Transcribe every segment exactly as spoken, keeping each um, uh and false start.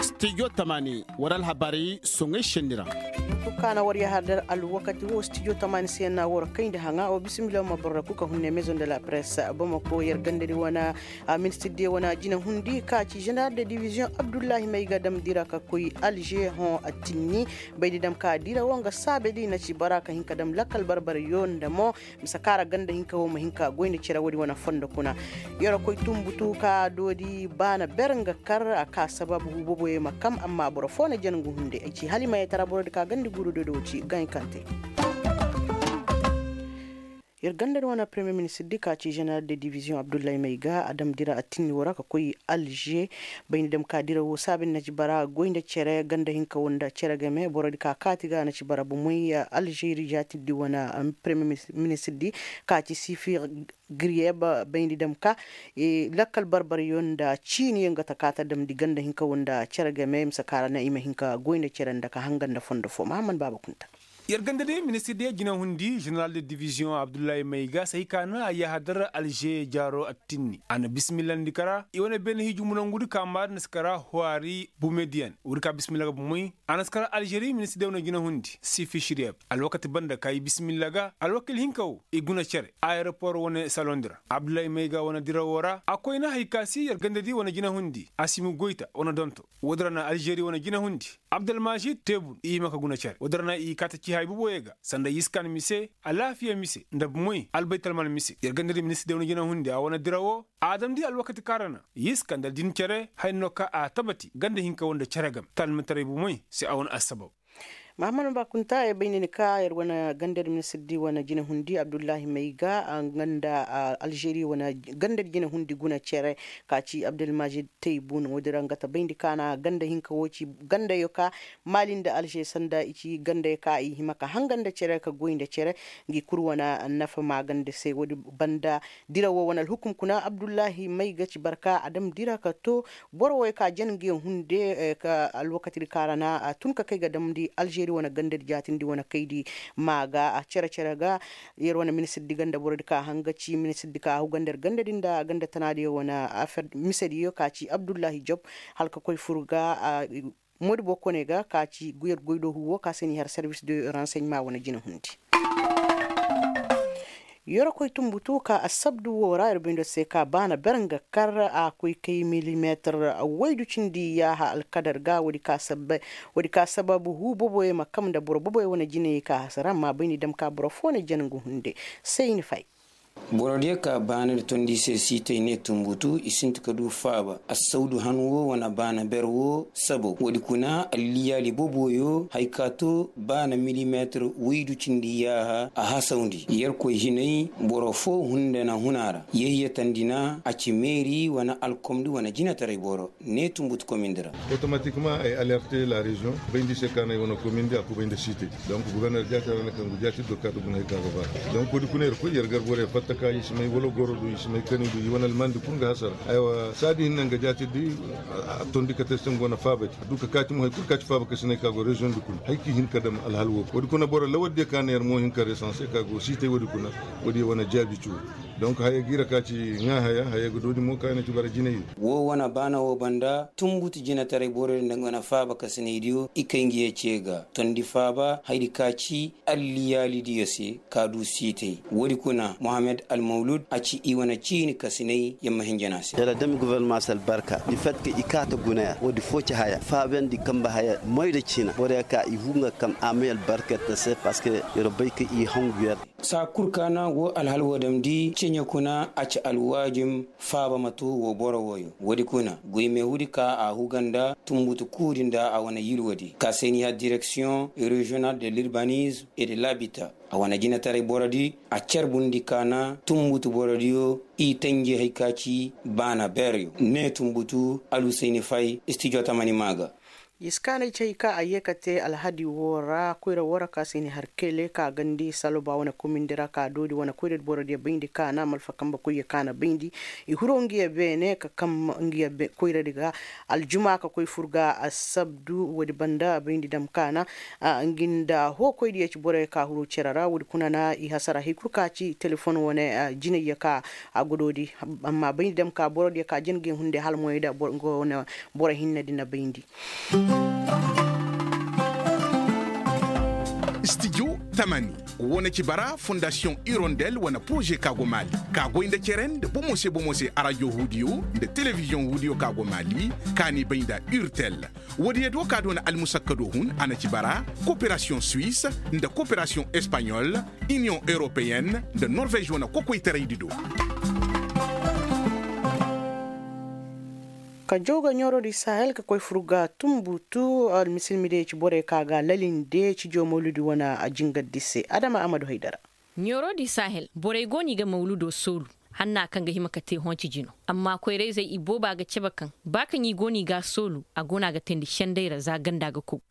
Studio tamaani war alhabaari soŋey senni ra. Kaana war yaha dar alwakati wo studio tamaani se na war kayndi haŋa wa bismillah ma barra kuka hunne maison de la presse bamako yer gandari wana. Ministir de wana jina hundi ka ci general de division abdullahi mayga damdira ka koy alger hõ attinni. Baydi dam ka dira wo nga saabe di na ci bara ka hinka dam lakkal barbar yo nda mo. Misa kaara ganda hinka wo ma hinka goy nda cere wodi wana fondo kuna. Yoro koy tumbutu ka doodi baana ber nga kar a ka sababu huboboye ma kam amma boro fo na jangu hunde ay ci hali mayetara borodi ka gandi gurudo do ci gankante. Yer ganda di wana premier ministre di ka ci general de division abdullahi mayga a dam dira a tinni wora ka koy alger. Bayni dam ka dira wo saabin na ci bara goy nda cere ganda hinka wo nda cere game borodi ka kaati ga na ci bara bomoy algeri jaati di wana premier ministre di ka ci sifi griyeb. Bayndi dam ka lakkal barbaryo nda ciiniyo nga ta kaata damndi ganda hinka wo nda cere game misa kaara na i ma hin ka goy nda cere nda ka hanga nda fondo fo mahamman baaba kunta. Yer ganda day ministir diya jinahundi jeneral de diviziyoŋ abdullahi mayga sahi ka na a yahadar alže jaaro attinni a na bisimillandi kara i wane beene hiji munangudi ka maadi na si kara huwari bumediyan woodi ka bisimilla ga bumey. A na si kar alžeri ministir day wane jinahundi sifi širiyeb alwakati banda ka i bisimilla ga alwakil hinka wo i guna cere ayeropor wane salondi ra abdullahi mayga wane dirawo ra a koyna hari ka si yer gandadi wane jinahundi a si ma goyta wane donto. Woodi ra na alžeri wane jinahundi abdulmažid tebun i hima ka guna cere woodi ra na i kaata ci hay boboyo ga sanda yiskan mise alaafiya mise nda bumey albaytalman mise yer gandadi ministir day wane jinahundi a wane dirawo. A damndi alwakati kaŋ ra na yiska nda din cere haya no ka a tabati ganda hinka wo nda cere game talmataray bumey se a wane assabab. Mahammad bakunta ya bay ni ka yer wane gandar ministir di wane jinahundi abdullahi mayga nga nda alžeri wane gandar jinahundi guna cere ka ci abdulmajid taybun wo-din ra nga ta bayndi ka na ganda hinka wo ci gandayo ka mali nda alže sanda i ci gandayo ka i hima ka hanga nda cere ka goy nda cere. Ngi kul wane nafa maaganda se wo-din banda dira wo wane alhukum kuna abdullahi may ga ci barka a dam dira ka to boro wo ya ka jen ngi hunde ka alwakati di ka ra na a tun ka kay ga damndi alžeri wane ganda di jaatindi wane kay di. Maaga a cere cere ga yer wane ministir di ganda boro di ka hanga ci ministir di ka ahu ganda yer ganda di nda ganda tana di wane affaire mise di yo ka ci abdullahi job hala ka koy fur ga. Moodi boo kone ga ka ci yer goy do huwo ka se ni har service de renseignement wane jina hundi. Yorokoy tumbutu ka assabdu wo ra yer bindo se ka baana ber nga kar a koy kay milimeetar waydu cindi yaaha alkadar ga woodi ka sababu huu boboyo ma kam nda boro boboyo wane jinayey ka hasara amma bay ni dam ka boro foo na jen nga hunde. Say ni fay. Borodiyo ka baanadi tondi se siitay ne tumbutu i sinti ka du faaba assawdu han wo wane baana ber wo sabaw woodi kuna alliyaali boboyo hay ka to baana milimeetir woydu cindi yaaha a hasawndi yerkoy hinay. Boro foo hunde na hun a ra yehyatandi na a ci meeri wane alkomdi wane jinetaray boro ne tumbutu komindi ra. Otomatikma ay alerte la reziyoŋ bayndi se ka na ay wane komindi a kubay nda siitay. Donk guberner jaati ra na kaŋ gu jaati do kaati guna hay ka ga ba donk woodi kuna yer koy yer gar boro yer fatta ka i si may wala goro do i si may kani do i wane almandi kul nga hasara. Aywa saadi hinne nga jaati di a tondi kate se nga wane faaba di a du ka kaati mo hay kul kaati faaba ka si nay ka go reziyoŋ di kul hay ka i hin ka dam alhal wo woodi kuna boro lawar diyo ka na yer mo hin ka resanse ka go siitay woodi kuna. Woodi wane jaabi ci wo donk haya ga i ra ka ci ŋaa haya haya ga doodi mo ka i na ci bara jinay. Wo wane baana wo banda tumbutu jinetaray boro din nda nga wane faaba ka si nay diyo i kay nga ye ce ga tondi faaba hayadi ka ci alliyaalidiyo se ka du siitay. Woodi kuna mohammed almawlud a ci i wane ciini kasinay yer ma hinjana se. Yer a dami guvernema se albarka di fat ka i kaata guna yer woodi foo ci haya faabandi kamba haya moy da ciina boro yer ka i huu nga kam a may albarka yer ta se parceque yer bay ka i hangu yer. Saa kul ka na woo alhal woo damndi ceɲe kuna a ci alwaajim faaba ma too woo boro wooyo woodi kuna goy meehudi ka a huga nda tumbutu kuudi nda a wane yilwodi ka se ni ya direksiyoŋ reziyonal de lurbanizm et de labita. A wane jinetaray borodi a carbundi ka na tumbutu borodiyo i tanji hay ka ci baana beeryo ne tumbutu alusayni fay istijo tamani maa ga. Iskaanay cay ka a ye ka te alhadi woo ra koyra woo ra ka se i na har kele ka gandi saloba wane komindi ra ka doodi wane koyradi borodiyo bayndi ka na malfa kambe koyyo ka na bayndi. I hiro ngiyo beene ka kam ngiyo koyradi ga aljuma ka koy fur ga assabdu woodi banda bayndi dam ka na ngi nda hookoydiyo ci borey ka huru cere ra woodi kuna na i hasara hay kul ka ci telefon wane jinayyo ka a godoodi. Amma bayndi dam ka borodiyo ka jin ga i hunday hala moyey da nga wane boro hinne di na bayndi. Studio tamani, wo na ci bara fondasiyoŋ irondel wane poroze ka go maali, ka goy nda cere nda bomo se bomo se arajo huudiyo nda telebiziyoŋ huudiyo ka go maali, ka n'i bay nda urtel. Woodiyo do ka doona almusakkado hun a na ci bara koperasiyoŋ suwis nda koperasiyoŋ espaɲol, iniyoŋ europeyen nda norvez wane kokoytaraydi do. Ka jaw ga ɲoorodi sahel ka koy fur ga tumbutu almisilmidiyo ci borey ka ga lalinde cijo mawludi wane jingardi se adama amadu haydara. Ɲoorodi sahel borey go no i ga mawludo soolu hanna kaŋ ga hima ka te hõ ci jino. Amma koyrayzey ibooba ga cabe kaŋ ba kaŋ i go no i ga a soolu a go no a ga teendi sendey ra za ganda ga kogu.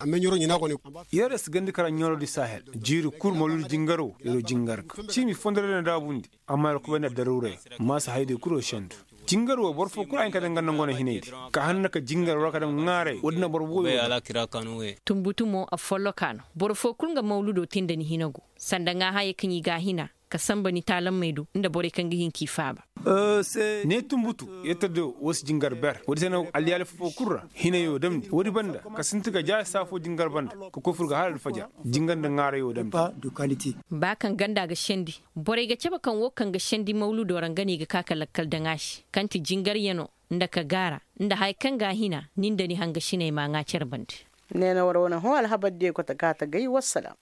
Yer si gandi kara ɲoorodi sahel jiiri kul mawludi jingaro yer wo jingar ga ciimi fondo ra na daabundi. Amma yer kubay nda daruurey maasa hayadiyo kul wo sendu. Jingar wo boro foo kul a hin ka daŋ ganda ngu wane hinay di ka hanna ka jingar war ka daŋ ŋaaray woodi na boro wooyo. Tumbutu mo a follokaa no boro foo kul nga mawludo tee nda ni hina go sanda ŋaahayey kaŋ i ga a hina ka sanba ni taalammey do nda borey kaŋ ga hin k'i faaba. Ne tumbutu yetta do woo si jingar ber woodi se no alliyaali foo kul ra hinay wo damndi woodi banda ka sinti ka jaari saa foo jingar banda ka koy fur ga hala alfajar jingar nda ŋaarey wo damndi. Ba kaŋ ganda ga sendi borey ga cabe kaŋ woo kaŋ ga sendi mawludo ra nga no i ga ka ka lakkal daŋ a se kaŋ ti jingaryanoo nda ka gaara nda haya kaŋ ga a hina ni nda ni hangasiney m'a ŋaa cere bande. Ne na war wane hõ alhabardiyo ga ta gaatagay wassalaam.